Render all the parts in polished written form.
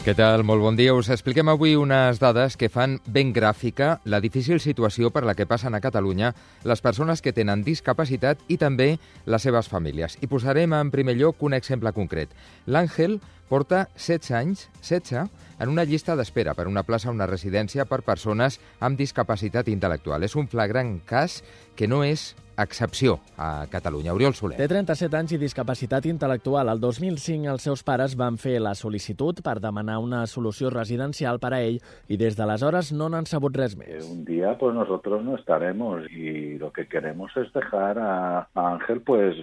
Què tal? Molt bon dia. Us expliquem avui unes dades que fan ben gràfica la difícil situació per la que passen a Catalunya les persones que tenen discapacitat i també les seves famílies. I posarem en primer lloc un exemple concret. L'Àngel porta 16 anys, 16, en una llista d'espera per una plaça a una residència per persones amb discapacitat intel·lectual. És un flagrant cas que no és excepció a Catalunya. Oriol Soler. Té 37 anys i discapacitat intel·lectual. El 2005 els seus pares van fer la sol·licitud per demanar una solució residencial per a ell i des d'aleshores no n'han sabut res més. Un día pues nosotros no estaremos y lo que queremos es dejar a Ángel pues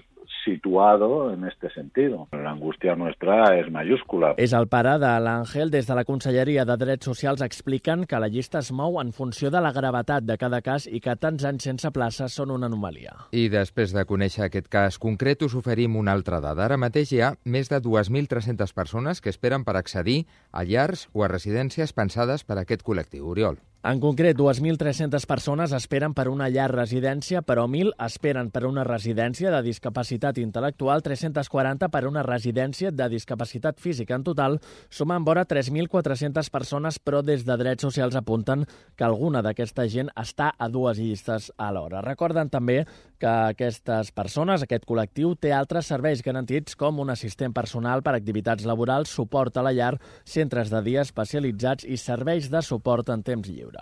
situado en este sentido. La angustia nuestra és mayúscula. És el pare de l'Àngel. Des de la Conselleria de Drets Socials expliquen que la llista es mou en funció de la gravetat de cada cas i que tants anys sense plaça són una anomalia. I després de conèixer aquest cas concret, us oferim una altra dada. Ara mateix hi ha més de 2.300 persones que esperen per accedir a llars o a residències pensades per a aquest col·lectiu. Oriol. En concret, 2.300 persones esperen per una llar residència, però 1.000 esperen per una residència de discapacitat intel·lectual, 340 per una residència de discapacitat física. En total, sumen vora 3.400 persones, però des de Drets Socials apunten que alguna d'aquesta gent està a dues llistes alhora. Recorden també que aquestes persones, aquest col·lectiu, té altres serveis garantits com un assistent personal per activitats laborals, suport a la llar, centres de dia especialitzats i serveis de suport en temps lliure.